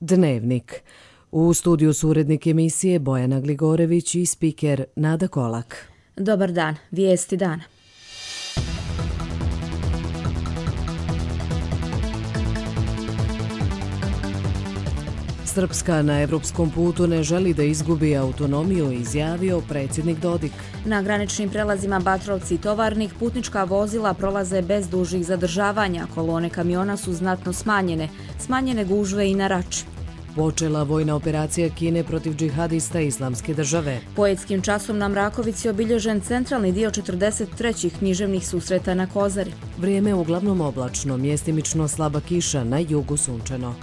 Dnevnik. U studiju su urednik emisije Bojana Gligorević i spiker Nada Kolak. Dobar dan, vijesti dana. Srpska na evropskom putu ne želi da izgubi autonomiju, izjavio predsjednik Dodik. Na graničnim prelazima Batrovci i Tovarnik putnička vozila prolaze bez dužih zadržavanja, kolone kamiona su znatno smanjene gužve i na Rači. Počela vojna operacija Kine protiv džihadista Islamske države. Poetskim časom na Mrakovici obilježen centralni dio 43. književnih susreta na Kozari. Vrijeme uglavnom oblačno, mjestimično slaba kiša, na jugu sunčano.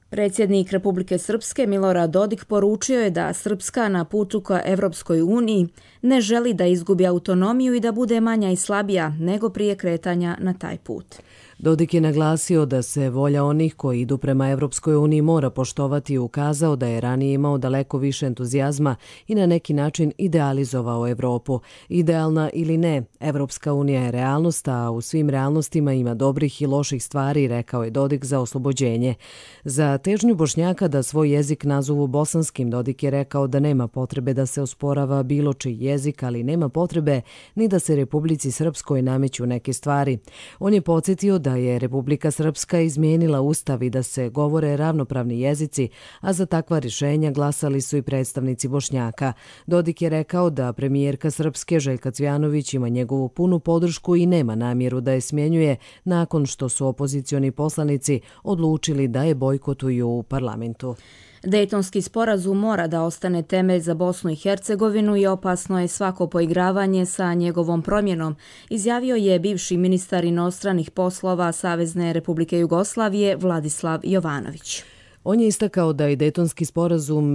Predsjednik Republike Srpske Milorad Dodik poručio je da Srpska na putu ka Evropskoj uniji ne želi da izgubi autonomiju i da bude manja i slabija nego prije kretanja na taj put. Dodik je naglasio da se volja onih koji idu prema Evropskoj uniji mora poštovati i ukazao da je ranije imao daleko više entuzijazma i na neki način idealizovao Evropu. Idealna ili ne, Evropska unija je realnost, a u svim realnostima ima dobrih i loših stvari, rekao je Dodik za oslobođenje. Za težnju Bošnjaka da svoj jezik nazovu bosanskim, Dodik je rekao da nema potrebe da se osporava bilo čiji jezik, ali nema potrebe ni da se Republici Srpskoj nameću neke stvari. On je podsjetio da je Republika Srpska izmijenila ustav i da se govore ravnopravni jezici, a za takva rješenja glasali su i predstavnici Bošnjaka. Dodik je rekao da premijerka Srpske Željka Cvjanović ima njegovu punu podršku i nema namjeru da je smjenjuje nakon što su opozicioni poslanici odlučili da je bojkotuju u parlamentu. Dejtonski sporazum mora da ostane temelj za Bosnu i Hercegovinu i opasno je svako poigravanje sa njegovom promjenom, izjavio je bivši ministar inostranih poslova Savezne Republike Jugoslavije Vladislav Jovanović. On je istakao da je Dejtonski sporazum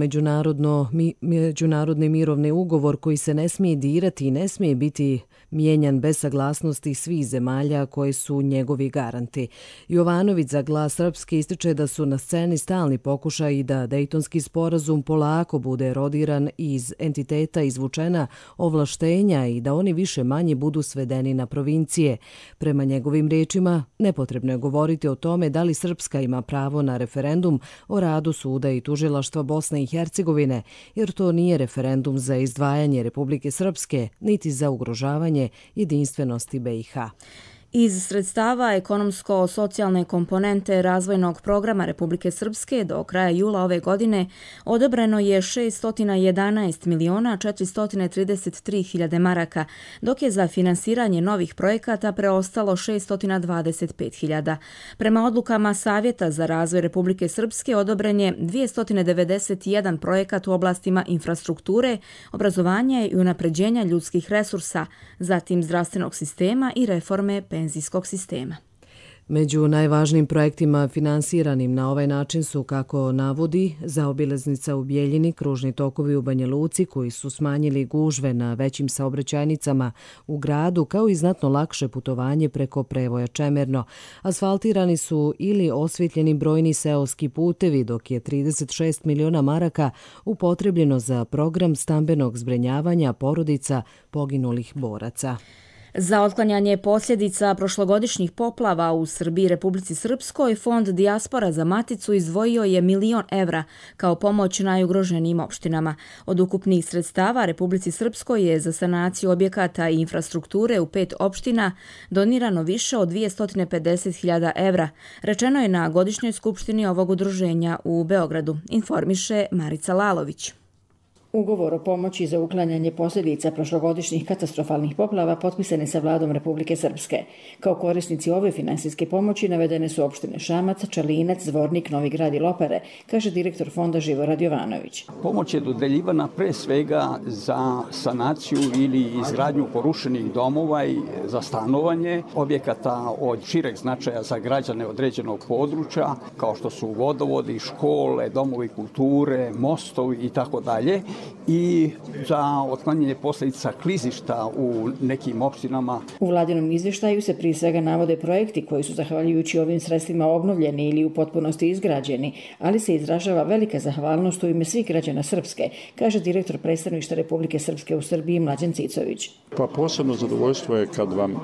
međunarodni mirovni ugovor koji se ne smije dirati i ne smije biti mijenjan bez saglasnosti svih zemalja koje su njegovi garanti. Jovanović za Glas Srpske ističe da su na sceni stalni pokušaj i da Dejtonski sporazum polako bude erodiran i iz entiteta izvučena ovlaštenja i da oni više manje budu svedeni na provincije. Prema njegovim riječima, nepotrebno je govoriti o tome da li Srpska ima pravo na referendum o radu suda i tužilaštva Bosne i Hercegovine, jer to nije referendum za izdvajanje Republike Srpske, niti za ugrožavanje jedinstvenosti BiH. Iz sredstava ekonomsko-socijalne komponente razvojnog programa Republike Srpske do kraja jula ove godine odobreno je 611.433.000 maraka, dok je za finansiranje novih projekata preostalo 625.000. Prema odlukama Savjeta za razvoj Republike Srpske odobren je 291 projekat u oblastima infrastrukture, obrazovanja i unapređenja ljudskih resursa, zatim zdravstvenog sistema i reforme penzijskog sistema. Među najvažnijim projektima finansiranim na ovaj način su, kako navodi, zaobilaznica u Bijeljini, kružni tokovi u Banja Luci koji su smanjili gužve na većim saobraćajnicama u gradu, kao i znatno lakše putovanje preko prevoja Čemerno. Asfaltirani su ili osvjetljeni brojni seoski putevi, dok je 36 miliona maraka upotrebljeno za program stambenog zbrinjavanja porodica poginulih boraca. Za otklanjanje posljedica prošlogodišnjih poplava u Srbiji i Republici Srpskoj, Fond Dijaspora za Maticu izdvojio je 1.000.000 evra kao pomoć najugroženijim opštinama. Od ukupnih sredstava Republici Srpskoj je za sanaciju objekata i infrastrukture u 5 opština donirano više od 250.000 evra, rečeno je na godišnjoj skupštini ovog udruženja u Beogradu, informiše Marica Lalović. Ugovor o pomoći za uklanjanje posljedica prošlogodišnjih katastrofalnih poplava potpisan je sa vladom Republike Srpske. Kao korisnici ove finansijske pomoći navedene su opštine Šamac, Čalinac, Zvornik, Novi Grad i Lopare, kaže direktor fonda Živorad Jovanović. Pomoć je dodeljivana pre svega za sanaciju ili izgradnju porušenih domova i za stanovanje objekata od šireg značaja za građane određenog područja, kao što su vodovodi, škole, domovi kulture, mostovi i tako dalje. i za otklanjanje posljedica klizišta u nekim opštinama. U vladinom izvještaju se prije svega navode projekti koji su zahvaljujući ovim sredstvima obnovljeni ili u potpunosti izgrađeni, ali se izražava velika zahvalnost u ime svih građana Srpske, kaže direktor predstavništva Republike Srpske u Srbiji Mlađan Cicović. Pa posebno zadovoljstvo je kad vam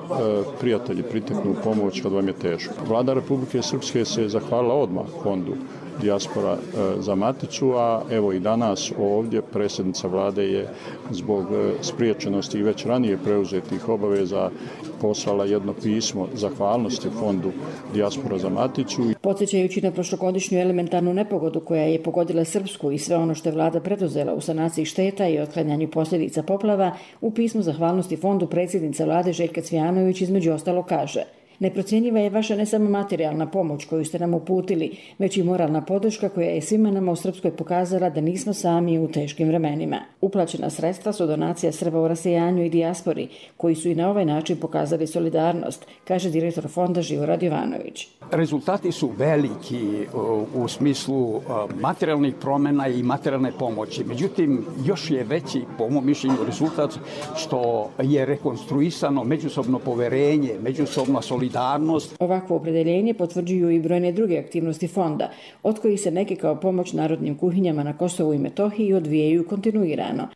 prijatelji priteknu u pomoć kad vam je teško. Vlada Republike Srpske se zahvalila odmah fondu Dijaspora za Maticu, a evo i danas ovdje predsjednica vlade je zbog spriječenosti i već ranije preuzetih obaveza poslala jedno pismo zahvalnosti fondu Dijaspora za Maticu. Podsjećajući na prošlogodišnju elementarnu nepogodu koja je pogodila Srpsku i sve ono što je vlada preduzela u sanaciji šteta i otklanjanju posljedica poplava, u pismu zahvalnosti fondu predsjednica vlade Željka Cvijanović između ostalo kaže: neprocjenjiva je vaša ne samo materijalna pomoć koju ste nam uputili, već i moralna podrška koja je svima nama u Srpskoj pokazala da nismo sami u teškim vremenima. Uplaćena sredstva su donacija Srba u rasejanju i dijaspori, koji su i na ovaj način pokazali solidarnost, kaže direktor fonda Živorad Jovanović. Rezultati su veliki u smislu materijalnih promjena i materijalne pomoći. Međutim, još je veći, po mom mišljenju, rezultat što je rekonstruisano međusobno poverenje, međusobna solidarnost. Ovakvo opredeljenje potvrđuju i brojne druge aktivnosti fonda, od kojih se neke kao pomoć narodnim kuhinjama na Kosovu i Metohiji odvijaju kontinuirano.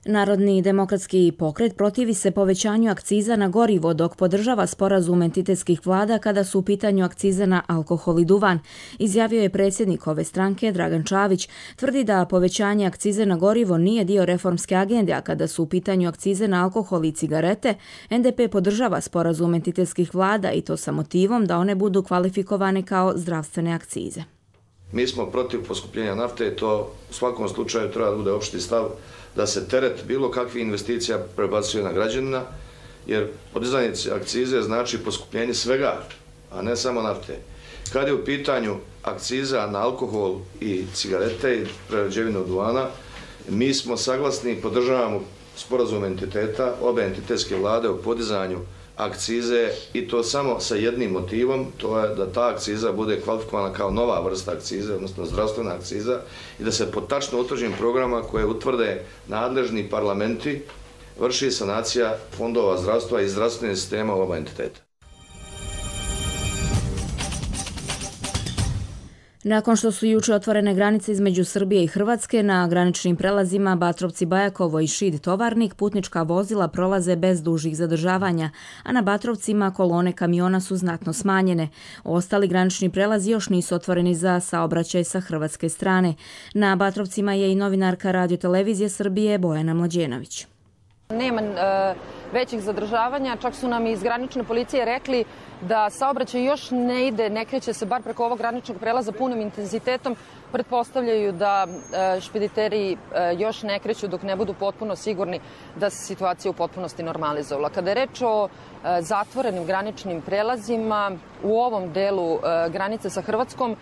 Narodni demokratski pokret protivi se povećanju akciza na gorivo, dok podržava sporazum entitetskih vlada kada su u pitanju akcize na alkohol i duvan, izjavio je predsjednik ove stranke Dragan Čavić. Tvrdi da povećanje akcize na gorivo nije dio reformske agende, a kada su u pitanju akcize na alkohol i cigarete, NDP podržava sporazum entitetskih vlada i to sa motivom da one budu kvalifikovane kao zdravstvene akcize. Mi smo protiv poskupljenja nafte, to u svakom slučaju treba da bude opšti stav da se teret bilo kakvih investicija prebacuje na građanina, jer podizanje akcize znači poskupljenje svega, a ne samo nafte. Kad je u pitanju akciza na alkohol i cigarete i prerađevinu duvana, mi smo saglasni i podržavamo sporazum entiteta, obe entitetske vlade o podizanju akcize i to samo sa jednim motivom, to je da ta akciza bude kvalifikovana kao nova vrsta akcize, odnosno zdravstvena akciza, i da se po tačno utvrđenim programa koje utvrde nadležni parlamenti vrši sanacija fondova zdravstva i zdravstvenih sistema oba entiteta. Nakon što su juče otvorene granice između Srbije i Hrvatske, na graničnim prelazima Batrovci-Bajakovo i Šid-Tovarnik putnička vozila prolaze bez dužih zadržavanja, a na Batrovcima kolone kamiona su znatno smanjene. Ostali granični prelazi još nisu otvoreni za saobraćaj sa hrvatske strane. Na Batrovcima je i novinarka Radio-televizije Srbije Bojana Mlađenović. Nema većih zadržavanja, čak su nam iz granične policije rekli da saobraćaj još ne ide, ne kreće se bar preko ovog graničnog prelaza punim intenzitetom. Pretpostavljaju da špediteri još ne kreću dok ne budu potpuno sigurni da se situacija u potpunosti normalizovala. Kada je reč o zatvorenim graničnim prelazima, u ovom delu granice sa Hrvatskom,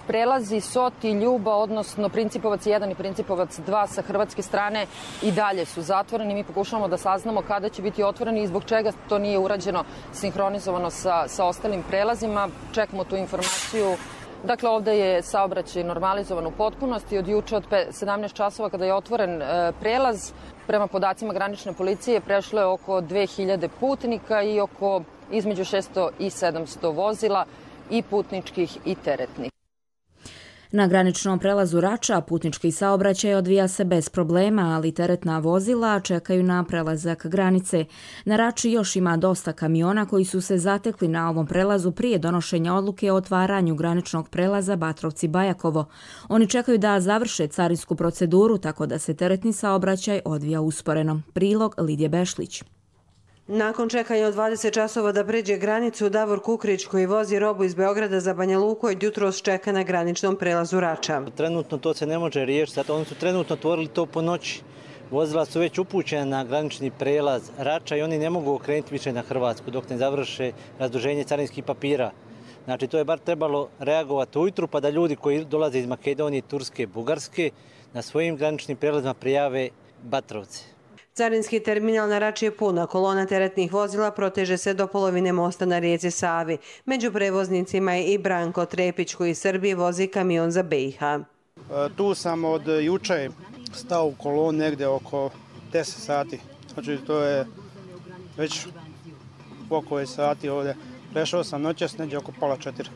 prelazi Sot i Ljuba, odnosno Principovac 1 i Principovac 2 sa hrvatske strane i dalje su zatvoreni. Mi pokušavamo da saznamo kada će biti otvoreni i zbog čega to nije urađeno sinhronizovano sa ostalim prelazima. Čekamo tu informaciju. Dakle, ovdje je saobraćaj normalizovan u potpunosti. Od juče od 17 časova kada je otvoren prelaz, prema podacima granične policije prešlo je oko 2000 putnika i oko između 600 i 700 vozila i putničkih i teretnih. Na graničnom prelazu Rača putnički saobraćaj odvija se bez problema, ali teretna vozila čekaju na prelazak granice. Na Rači još ima dosta kamiona koji su se zatekli na ovom prelazu prije donošenja odluke o otvaranju graničnog prelaza Batrovci-Bajakovo. Oni čekaju da završe carinsku proceduru, tako da se teretni saobraćaj odvija usporeno. Prilog Lidije Bešlić. Nakon čekanja od 20 časova da pređe granicu, Davor Kukrić koji vozi robu iz Beograda za Banja Luku od jutros čeka na graničnom prelazu Rača. Trenutno to se ne može riješiti, oni su trenutno otvorili to po noći. Vozila su već upućena na granični prelaz Rača i oni ne mogu okrenuti više na Hrvatsku dok ne završe razduženje carinskih papira. Znači to je bar trebalo reagovati ujutru pa da ljudi koji dolaze iz Makedonije, Turske, Bugarske na svojim graničnim prelazima prijave Batrovce. Carinski terminal na Rači je puna, kolona teretnih vozila proteže se do polovine mosta na rijeci Savi. Među prevoznicima je i Branko Trepić koji iz Srbije vozi kamion za BiH. Tu sam od juče stao u kolon negdje oko 10 sati. Znači to je već oko sati ovdje. Prešao sam noćas negdje oko pola 4.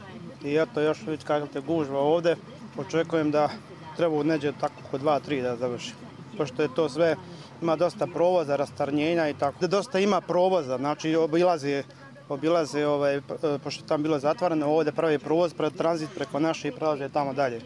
I eto još vidite kako te gužva ovdje. Očekujem da treba negdje tako oko 2-3 da završi. Pošto je to sve, ima dosta provoza, rastarnjenja i tako. Dosta ima provoza, znači obilaze, pošto je tam bilo zatvoreno, ovdje pravi provoz, tranzit preko naše i prelaže tamo dalje.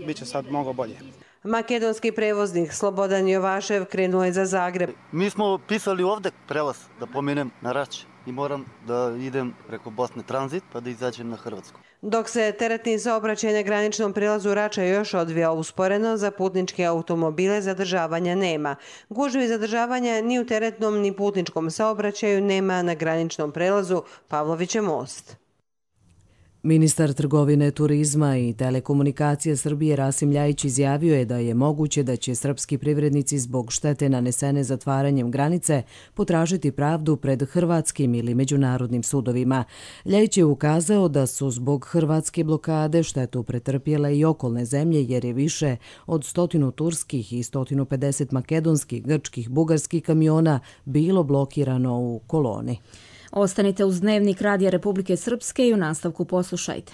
Biće sad mnogo bolje. Makedonski prevoznik Slobodan Jovašev krenuo je za Zagreb. Mi smo pisali ovdje prelaz, da pomenem, na Rač i moram da idem preko Bosne tranzit pa da izađem na Hrvatsku. Dok se teretni saobraćaj na graničnom prilazu Rača još odvija usporeno, za putničke automobile zadržavanja nema. Gužvi zadržavanja ni u teretnom ni putničkom saobraćaju nema na graničnom prelazu Pavlovićev most. Ministar trgovine, turizma i telekomunikacije Srbije Rasim Ljajić izjavio je da je moguće da će srpski privrednici zbog štete nanesene zatvaranjem granice potražiti pravdu pred hrvatskim ili međunarodnim sudovima. Ljajić je ukazao da su zbog hrvatske blokade štetu pretrpjele i okolne zemlje jer je više od 100 turskih i 150 makedonskih, grčkih, bugarskih kamiona bilo blokirano u koloni. Ostanite uz Dnevnik Radija Republike Srpske i u nastavku poslušajte.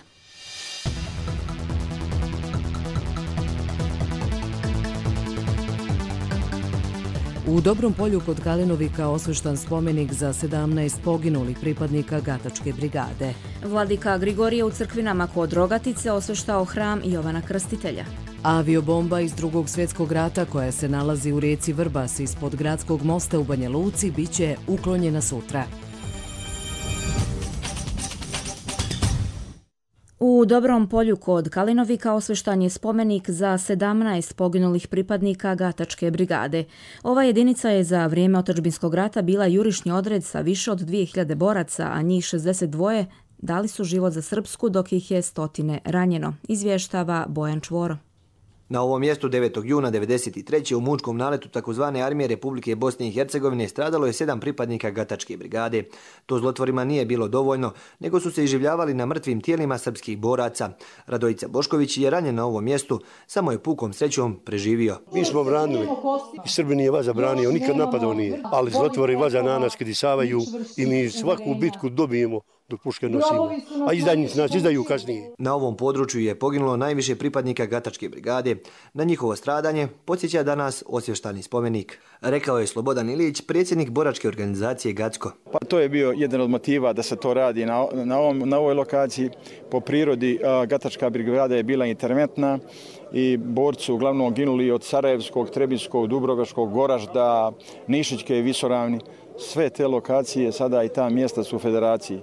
U Dobrom Polju kod Kalinovika osveštan spomenik za 17 poginulih pripadnika Gatačke brigade. Vladika Grigorije u Crkvinama kod Rogatice osveštao hram Jovana Krstitelja. Aviobomba iz Drugog svjetskog rata koja se nalazi u rijeci Vrbas ispod gradskog mosta u Banja Luci biće uklonjena sutra. U Dobrom Polju kod Kalinovika osveštan je spomenik za 17 poginulih pripadnika Gatačke brigade. Ova jedinica je za vrijeme otadžbinskog rata bila jurišni odred sa više od 2000 boraca, a njih 62 dali su život za Srpsku, dok ih je 100 ranjeno, izvještava Bojan Čvoro. Na ovom mjestu 9. juna 1993. u mučkom naletu tzv. Armije Republike Bosne i Hercegovine stradalo je 7 pripadnika Gatačke brigade. To zlotvorima nije bilo dovoljno, nego su se iživljavali na mrtvim tijelima srpskih boraca. Radojica Bošković je ranjen na ovom mjestu, samo je pukom srećom preživio. Mi smo branili i Srbi nije vaza branio, nikad napadao nije, ali zlotvori vaza na nas kad isavaju i mi svaku bitku dobijemo dok puške nosimo, a izdajnici nas izdaju kasnije. Na ovom području je poginulo najviše pripadnika Gatačke brigade. Na njihovo stradanje podsjeća danas osvještani spomenik. Rekao je Slobodan Ilić, predsjednik boračke organizacije Gacko. Pa to je bio jedan od motiva da se to radi na ovoj lokaciji. Po prirodi Gatačka brigada je bila interventna i borci su uglavnom ginuli od Sarajevskog, Trebinskog, Dubrovačkog, Goražda, Nišićke i Visoravni. Sve te lokacije sada i ta mjesta su u federaciji,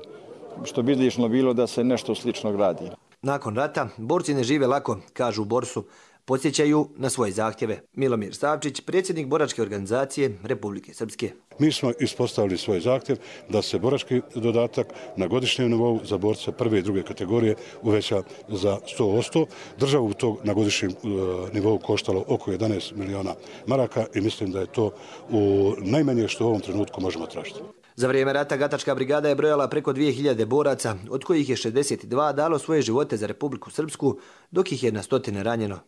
što bi izlično bilo da se nešto slično gradi. Nakon rata, borci ne žive lako, kažu u Borsu. Podsjećaju na svoje zahtjeve. Milomir Savčić, predsjednik boračke organizacije Republike Srpske. Mi smo ispostavili svoj zahtjev da se borački dodatak na godišnjem nivou za borce prve i druge kategorije uveća za 100%. Državu to na godišnjem nivou koštalo oko 11 miliona maraka i mislim da je to najmanje što u ovom trenutku možemo tražiti. Za vrijeme rata Gatačka brigada je brojala preko 2000 boraca, od kojih je 62 dalo svoje živote za Republiku Srpsku, dok ih je na 100 ranjeno.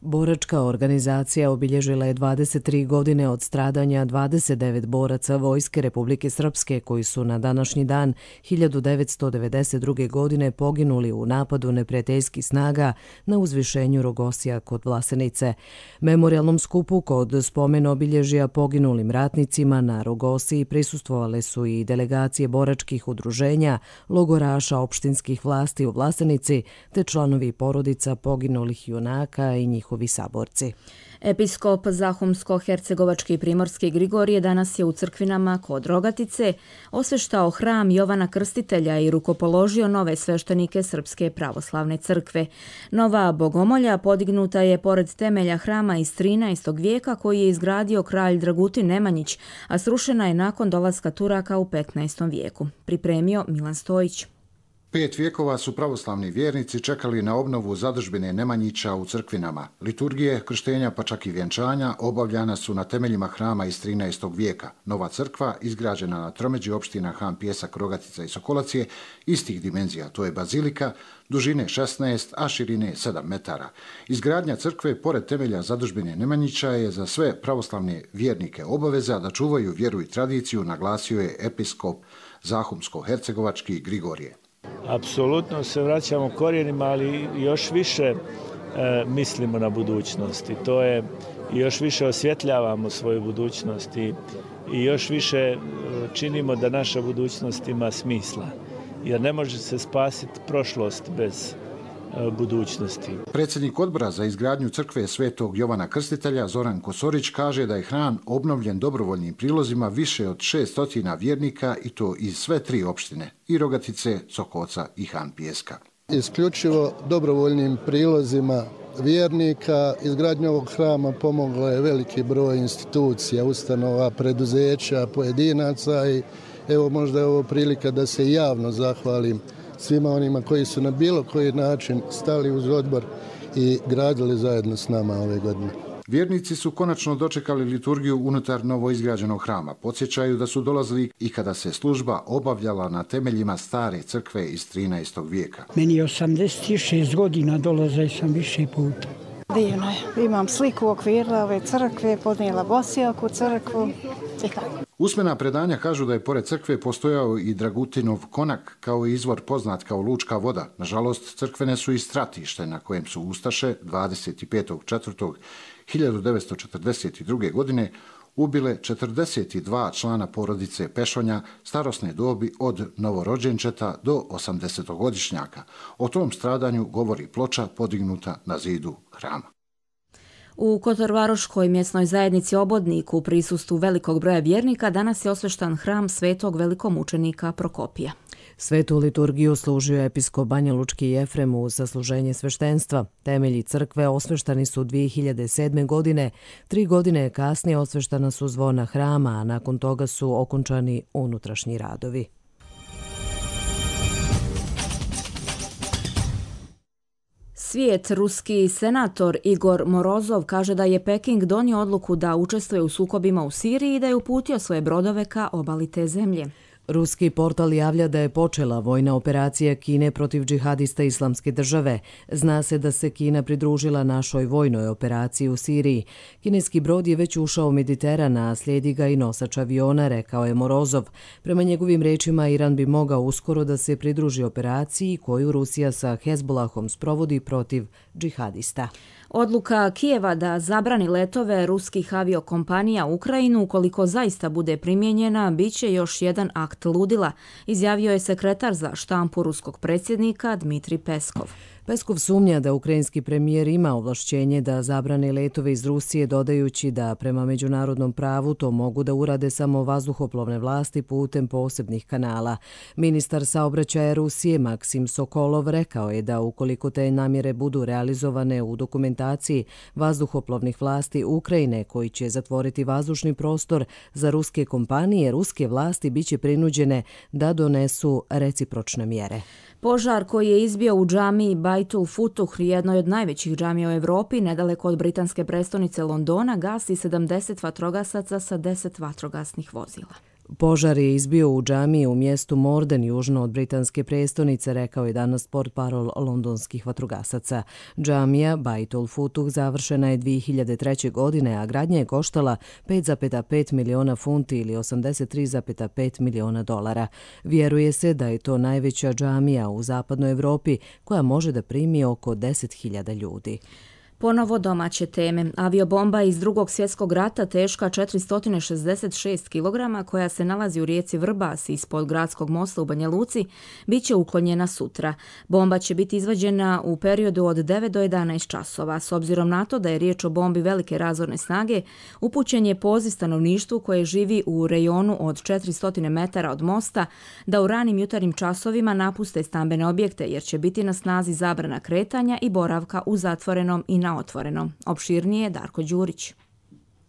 Boračka organizacija obilježila je 23 godine od stradanja 29 boraca Vojske Republike Srpske koji su na današnji dan 1992. godine poginuli u napadu neprijateljskih snaga na uzvišenju Rogosija kod Vlasenice. Memorijalnom skupu kod spomen obilježja poginulim ratnicima na Rogosiji prisustvovale su i delegacije boračkih udruženja, logoraša opštinskih vlasti u Vlasenici te članovi porodica poginulih junaka i njihovi saborci. Episkop Zahumsko-hercegovački primorski Grigorije danas je u Crkvinama kod Rogatice osveštao hram Jovana Krstitelja i rukopoložio nove sveštenike Srpske pravoslavne crkve. Nova bogomolja podignuta je pored temelja hrama iz 13. vijeka koji je izgradio kralj Dragutin Nemanjić, a srušena je nakon dolaska Turaka u 15. vijeku. Pripremio Milan Stojić. 5 vijekova su pravoslavni vjernici čekali na obnovu zadužbine Nemanjića u crkvinama. Liturgije, krštenja pa čak i vjenčanja obavljana su na temeljima hrama iz 13. vijeka. Nova crkva, izgrađena na tromeđi opština Han, Pjesak, Rogatica i Sokolac je istih dimenzija. To je bazilika, dužine 16, a širine 7 metara. Izgradnja crkve pored temelja zadužbine Nemanjića je za sve pravoslavne vjernike obaveza da čuvaju vjeru i tradiciju, naglasio je episkop Zahumsko-hercegovački Grigorije. Apsolutno se vraćamo korijenima, ali još više mislimo na budućnost i to je, još više osvjetljavamo svoju budućnost i još više činimo da naša budućnost ima smisla, jer ne može se spasiti prošlost bez budućnosti. Predsjednik odbora za izgradnju crkve Svetog Jovana Krstitelja Zoran Kosorić kaže da je hram obnovljen dobrovoljnim prilozima više od 600 vjernika i to iz sve 3 opštine, i Rogatice, Sokoca i Han Pijeska. Isključivo dobrovoljnim prilozima vjernika izgradnju ovog hrama pomoglo je veliki broj institucija, ustanova, preduzeća, pojedinaca i evo možda je ovo prilika da se javno zahvalim svima onima koji su na bilo koji način stali uz odbor i gradili zajedno s nama ove godine. Vjernici su konačno dočekali liturgiju unutar novoizgrađenog hrama. Podsjećaju da su dolazili i kada se služba obavljala na temeljima stare crkve iz 13. vijeka. Meni je 86 godina, dolazio sam više puta. Divno je. Imam sliku u okviru ove crkve, podnijela Bosijak u crkvu i tako. Usmena predanja kažu da je pored crkve postojao i Dragutinov konak kao izvor poznat kao Lučka voda. Nažalost, crkvene su i stratište na kojem su ustaše 25.4.1942. godine ubile 42 člana porodice Pešonja starosne dobi od novorođenčeta do 80-godišnjaka. O tom stradanju govori ploča podignuta na zidu hrama. U Kotorvaroškoj mjesnoj zajednici Obodnik u prisustvu velikog broja vjernika danas je osveštan hram svetog velikomučenika Prokopija. Svetu liturgiju služio je episkop Banjalučki Jefrem uz zasluženje sveštenstva. Temelji crkve osveštani su 2007. godine, 3 godine kasnije osveštana su zvona hrama, a nakon toga su okončani unutrašnji radovi. Svijet, ruski senator Igor Morozov kaže da je Peking donio odluku da učestvuje u sukobima u Siriji i da je uputio svoje brodove ka obali te zemlje. Ruski portal javlja da je počela vojna operacija Kine protiv džihadista Islamske države. Zna se da se Kina pridružila našoj vojnoj operaciji u Siriji. Kineski brod je već ušao u Mediteran, a slijedi ga i nosač aviona, rekao je Morozov. Prema njegovim rečima, Iran bi mogao uskoro da se pridruži operaciji koju Rusija sa Hezbolahom sprovodi protiv džihadista. Odluka Kijeva da zabrani letove ruskih aviokompanija u Ukrajinu, ukoliko zaista bude primijenjena, bit će još jedan akt ludila, izjavio je sekretar za štampu ruskog predsjednika Dmitrij Peskov. Peskov sumnja da ukrajinski premijer ima ovlašćenje da zabrane letove iz Rusije, dodajući da prema međunarodnom pravu to mogu da urade samo vazduhoplovne vlasti putem posebnih kanala. Ministar saobraćaja Rusije Maksim Sokolov rekao je da ukoliko te namjere budu realizovane u dokumentaciji vazduhoplovnih vlasti Ukrajine koji će zatvoriti vazdušni prostor za ruske kompanije, ruske vlasti biće prinuđene da donesu recipročne mjere. Požar koji je izbio u džamiji Baitul Futuh, jednoj od najvećih džamija u Evropi, nedaleko od britanske prestonice Londona, gasi 70 vatrogasaca sa 10 vatrogasnih vozila. Požar je izbio u džamiji u mjestu Morden, južno od britanske prestonice, rekao je danas portparol londonskih vatrogasaca. Džamija Baitul Futuh završena je 2003. godine, a gradnja je koštala 5,5 miliona funti ili 83,5 miliona dolara. Vjeruje se da je to najveća džamija u zapadnoj Evropi koja može da primi oko 10.000 ljudi. Ponovo domaće teme. Aviobomba iz Drugog svjetskog rata teška 466 kg koja se nalazi u rijeci Vrbas ispod gradskog mosta u Banja Luci bit će uklonjena sutra. Bomba će biti izvađena u periodu od 9 do 11 časova. S obzirom na to da je riječ o bombi velike razorne snage, upućen je poziv stanovništvu koje živi u rejonu od 400 metara od mosta da u ranim jutarnjim časovima napuste stambene objekte jer će biti na snazi zabrana kretanja i boravka u zatvorenom i na otvorenom. Opširnije Darko Đurić.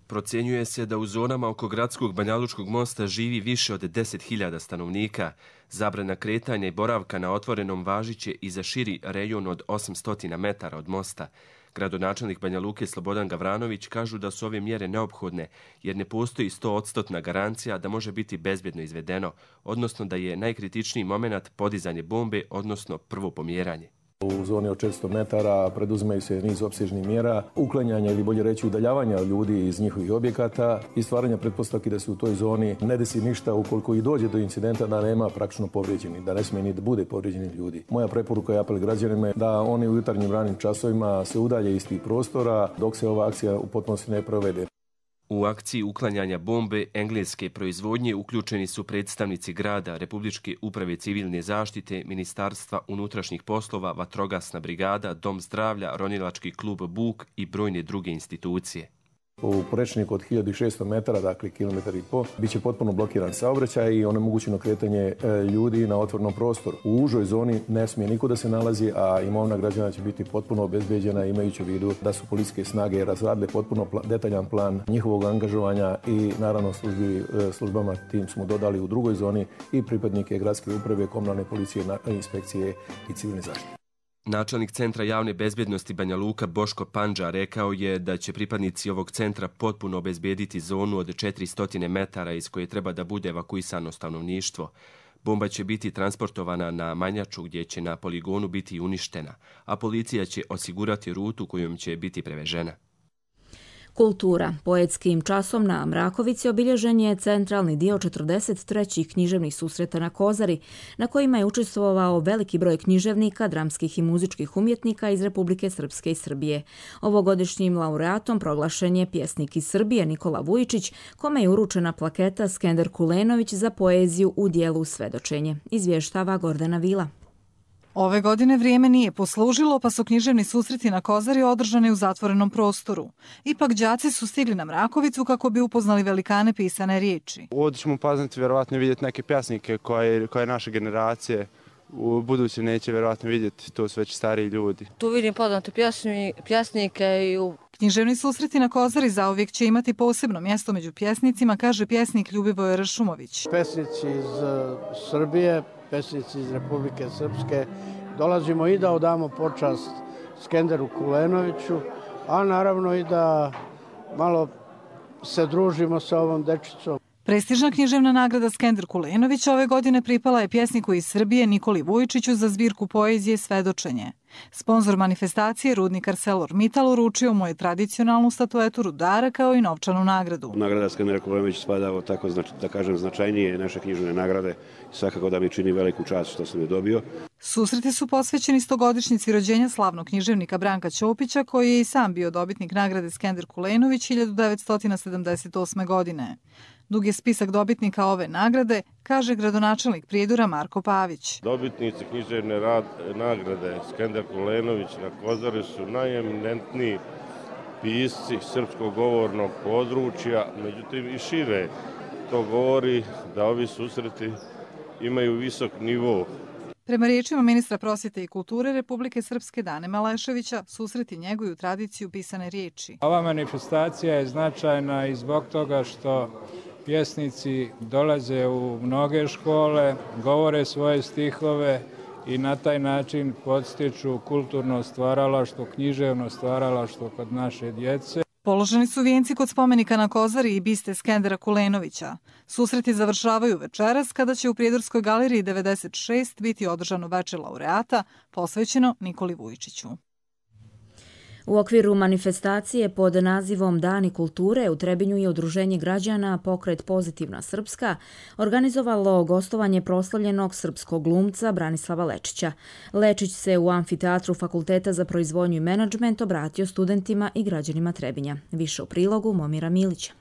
Procjenjuje se da u zonama oko gradskog Banjalučkog mosta živi više od 10.000 stanovnika. Zabrana kretanja i boravka na otvorenom važiće i za širi rejon od 800 metara od mosta. Gradonačelnik Banja Luke Slobodan Gavranović kažu da su ove mjere neophodne jer ne postoji 100% garancija da može biti bezbjedno izvedeno, odnosno da je najkritičniji moment podizanje bombe, odnosno prvo pomjeranje. U zoni od 400 metara preduzimaju se niz opsežnih mjera, uklanjanja ili bolje reći udaljavanja ljudi iz njihovih objekata i stvaranja pretpostavki da se u toj zoni ne desi ništa ukoliko i dođe do incidenta da nema praktično povrijeđenih, da ne smije ni da bude povrijeđenih ljudi. Moja preporuka i apel građanima je da oni u jutarnjim ranim časovima se udalje iz tih prostora dok se ova akcija u potpunosti ne provede. U akciji uklanjanja bombe engleske proizvodnje uključeni su predstavnici grada, Republičke uprave civilne zaštite, Ministarstva unutrašnjih poslova, Vatrogasna brigada, Dom zdravlja, Ronilački klub Buk i brojne druge institucije. U prečniku od 1600 metara, dakle kilometar i po, bit će potpuno blokiran saobraćaj i onemogućeno kretanje ljudi na otvorenom prostoru. U užoj zoni ne smije niko da se nalazi, a imovina građana će biti potpuno obezbeđena imajući u vidu da su policijske snage razradile potpuno detaljan plan njihovog angažovanja i naravno službama tim smo dodali u drugoj zoni i pripadnike gradske uprave, komunalne policije, inspekcije i civilne zaštite. Načelnik Centra javne bezbjednosti Banja Luka Boško Pandža rekao je da će pripadnici ovog centra potpuno obezbediti zonu od 400 metara iz koje treba da bude evakuisano stanovništvo. Bomba će biti transportovana na Manjaču gdje će na poligonu biti uništena, a policija će osigurati rutu kojom će biti prevežena. Kultura. Poetskim časom na Mrakovici obilježen je centralni dio 43. književnih susreta na Kozari, na kojima je učestvovao veliki broj književnika, dramskih i muzičkih umjetnika iz Republike Srpske i Srbije. Ovogodišnjim laureatom proglašen je pjesnik iz Srbije Nikola Vujičić, kome je uručena plaketa Skender Kulenović za poeziju u dijelu Svedočenje. Izvještava Gordana Vila. Ove godine vrijeme nije poslužilo, pa su književni susreti na Kozari održani u zatvorenom prostoru. Ipak đaci su stigli na Mrakovicu kako bi upoznali velikane pisane riječi. Ovdje ćemo upoznati, vjerovatno vidjeti neke pjesnike koje naše generacije u budući neće vjerovatno vidjeti, to su već stariji ljudi. Tu vidim poznate pjesnike i Književni susreti na Kozari zauvijek će imati posebno mjesto među pjesnicima, kaže pjesnik Ljubivoj Ršumović. Pesnici iz Srbije, pesnici iz Republike Srpske, dolazimo i da odamo počast Skenderu Kulenoviću, a naravno i da malo se družimo sa ovom dečicom. Prestižna književna nagrada Skender Kulenović ove godine pripala je pjesniku iz Srbije Nikoli Vujičiću za zbirku poezije Svedočenje. Sponzor manifestacije, rudnik ArcelorMittal, uručio mu je tradicionalnu statuetu rudara kao i novčanu nagradu. Nagrada Skendera Kulenović spada u tako, da kažem, značajnije naše književne nagrade. Svakako da mi čini veliku čast što sam je dobio. Susreti su posvećeni 100-godišnjici rođenja slavnog književnika Branka Ćopića, koji je i sam bio dobitnik nagrade Skender Kulenović 1978. godine. Dug je spisak dobitnika ove nagrade, kaže gradonačelnik Prijedora Marko Pavić. Dobitnici književne nagrade Skender Kulenović na Kozari su najeminentniji pisci srpskog govornog područja, međutim i šire. To govori da ovi susreti imaju visok nivo. Prema riječima ministra prosvjete i kulture Republike Srpske Dane Maleševića, susreti njeguju tradiciju pisane riječi. Ova manifestacija je značajna i zbog toga što pjesnici dolaze u mnoge škole, govore svoje stihove i na taj način podstiču kulturno stvaralaštvo, književno stvaralaštvo kod naše djece. Položeni su vijenci kod spomenika na Kozari i biste Skendera Kulenovića. Susreti završavaju večeras kada će u Prijedorskoj galeriji 96 biti održano veče laureata posvećeno Nikoli Vujičiću. U okviru manifestacije pod nazivom Dani kulture u Trebinju je Udruženje građana Pokret Pozitivna Srpska organizovalo gostovanje proslavljenog srpskog glumca Branislava Lečića. Lečić se u amfiteatru Fakulteta za proizvodnju i menadžment obratio studentima i građanima Trebinja. Više u prilogu Momira Milića.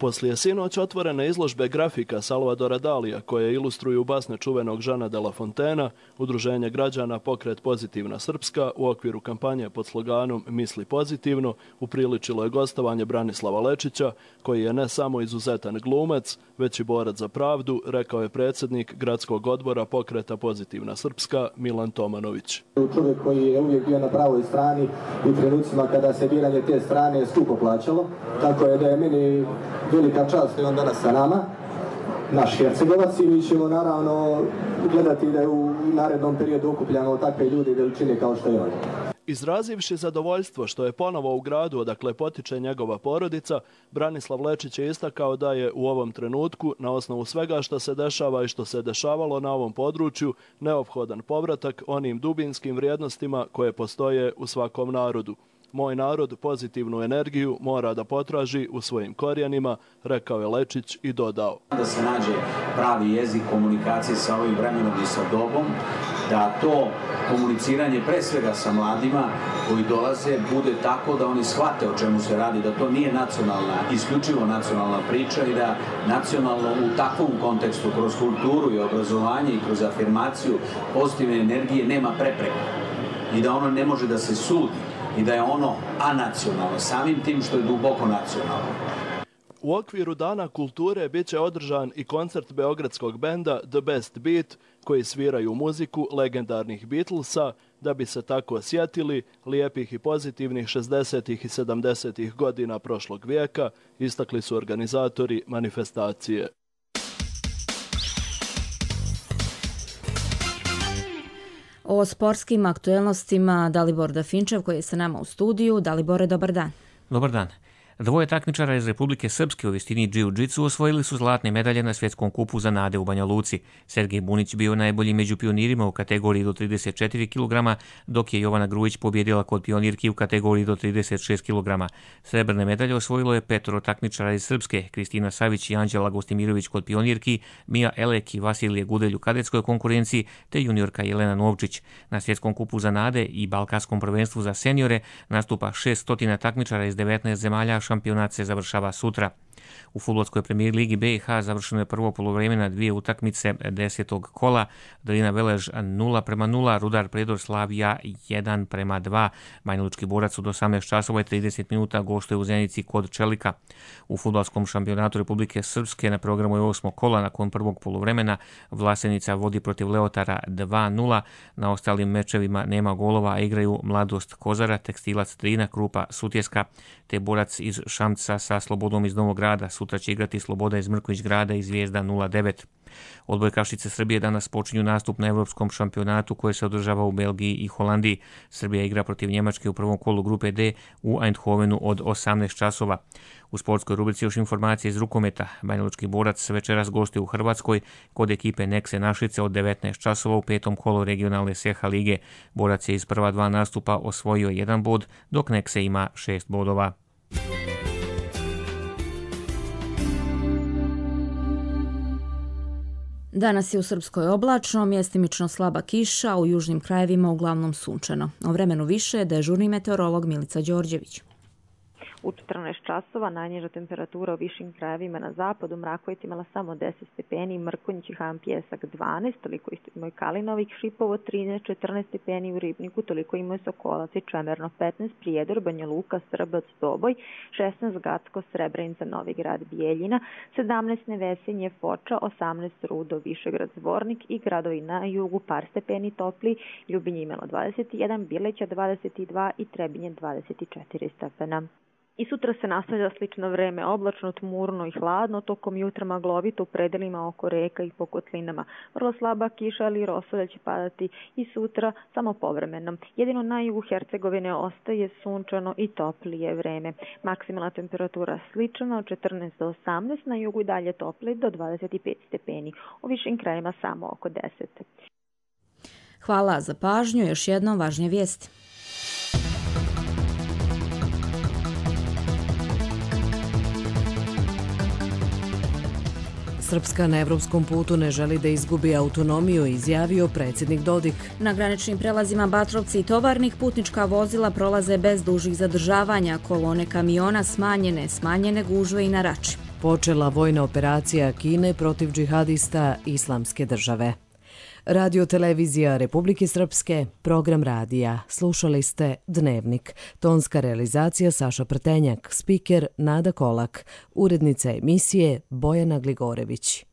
Poslije sinoć otvorene izložbe grafika Salvadora Dalija koje ilustruju basne čuvenog Žana de la Fontena, Udruženje građana Pokret Pozitivna Srpska u okviru kampanje pod sloganom Misli pozitivno upriličilo je gostovanje Branislava Lečića, koji je ne samo izuzetan glumac, već i borac za pravdu, rekao je predsjednik Gradskog odbora Pokreta Pozitivna Srpska Milan Tomanović. Čovjek koji je uvijek bio na pravoj strani u trenucima kada se biranje te strane skupo plaćalo, tako je da je meni velika čast i on danas sa nama, naš Hercegovac, i mi ćemo naravno gledati da u narednom periodu okupljamo takve ljudi veličine kao što je on. Izrazivši zadovoljstvo što je ponovo u gradu odakle potiče njegova porodica, Branislav Lečić je istakao da je u ovom trenutku, na osnovu svega što se dešava i što se dešavalo na ovom području, neophodan povratak onim dubinskim vrijednostima koje postoje u svakom narodu. Moj narod pozitivnu energiju mora da potraži u svojim korijenima, rekao je Lečić i dodao. Da se nađe pravi jezik komunikacije sa ovim vremenom i sa dobom, da to komuniciranje pre svega sa mladima koji dolaze bude tako da oni shvate o čemu se radi, da to nije nacionalna, isključivo nacionalna priča i da nacionalno u takvom kontekstu kroz kulturu i obrazovanje i kroz afirmaciju pozitivne energije nema prepreka i da ono ne može da se sudi i da je ono anacionalno, samim tim što je duboko nacionalno. U okviru Dana kulture bit će održan i koncert beogradskog benda The Best Beat, koji sviraju muziku legendarnih Beatlesa, da bi se tako sjetili lijepih i pozitivnih 60. i 70. godina prošlog vijeka, istakli su organizatori manifestacije. O sportskim aktuelnostima Dalibor Dafinčev koji je sa nama u studiju. Dalibore, dobar dan. Dobar dan. Dvoje takmičara iz Republike Srpske u visini džiu-džitsu osvojili su zlatne medalje na svjetskom kupu za nade u Banja Luci. Sergej Bunić bio najbolji među pionirima u kategoriji do 34 kg, dok je Jovana Grujić pobjedila kod pionirki u kategoriji do 36 kg. Srebrne medalje osvojilo je 5 takmičara iz Srpske, Kristina Savić i Anđela Gostimirović kod pionirki, Mija Elek i Vasilije Gudelj u kadetskoj konkurenciji, te juniorka Jelena Novčić. Na svjetskom kupu za nade i balkanskom prvenstvu za seniore nastupa 600 takmičara iz 19 zemalja. Šampionat se završava sutra. U fudbalskoj premijer ligi BiH završeno je prvo poluvreme na 2 utakmice 10. kola. Drina Velež 0:0, Rudar Predor Slavija 1:2. Banjalučki borac od 18 časova i 30 minuta gostuje u Zenici kod Čelika. U fudbalskom šampionatu Republike Srpske na programu je 8. kola. Nakon prvog poluvremena Vlasenica vodi protiv Leotara 2:0. Na ostalim mečevima nema golova, a igraju Mladost Kozara, Tekstilac Drina, Krupa Sutjeska, te borac iz Šamca sa Slobodom iz Novog Grada. Sutra će igrati Sloboda iz Mrković Grada i Zvijezda 09. Odbojkašice Srbije danas počinju nastup na Evropskom šampionatu koje se održava u Belgiji i Holandiji. Srbija igra protiv Njemačke u prvom kolu grupe D u Eindhovenu od 18 časova. U sportskoj rubrici još informacije iz rukometa. Banjalučki borac večeras gostuje u Hrvatskoj kod ekipe Nekse Našice od 19 časova u 5. kolu regionalne SEHA lige. Borac je iz prva 2 nastupa osvojio 1 bod, dok Nekse ima 6 bodova. Danas je u Srpskoj oblačno, mjestimično slaba kiša, u južnim krajevima uglavnom sunčano. O vremenu više dežurni meteorolog Milica Đorđević. U 14 časova najniža temperatura u višim krajevima na zapadu, Mraković imala samo 10 stepeni, Mrkonjić i Han Pjesak 12, toliko isto imaju Kalinovik, Šipovo 13, 14 stepeni u Ribniku, toliko imaju Sokolac i Čemerno 15, Prijedor, Banja Luka, Srbac, Doboj, 16 Gacko, Srebrenica, Novi Grad, Bijeljina, 17 Nevesinje, Foča, 18 Rudo, Višegrad, Zvornik i gradovi na jugu par stepeni topli, Ljubinje imalo 21, Bileća 22 i Trebinje 24 stepena. I sutra se nastavlja slično vreme, oblačno, tmurno i hladno, tokom jutra maglovito u predelima oko reka i po kotlinama. Vrlo slaba kiša, ali rosolja će padati i sutra samo povremeno. Jedino na jugu Hercegovine ostaje sunčano i toplije vreme. Maksimalna temperatura slična od 14 do 18, na jugu i dalje toplije do 25 stepeni. U višim krajima samo oko 10. Hvala za pažnju, još jednom važnije vijesti. Srpska na evropskom putu ne želi da izgubi autonomiju, izjavio predsjednik Dodik. Na graničnim prelazima Batrovci i Tovarnik putnička vozila prolaze bez dužih zadržavanja, kolone kamiona smanjene gužve i na Rači. počela vojna operacija Kine protiv džihadista Islamske države. Radio televizija Republike Srpske, program radija. Slušali ste Dnevnik. Tonska realizacija Saša Prtenjak, spiker Nada Kolak, urednica emisije Bojana Gligorević.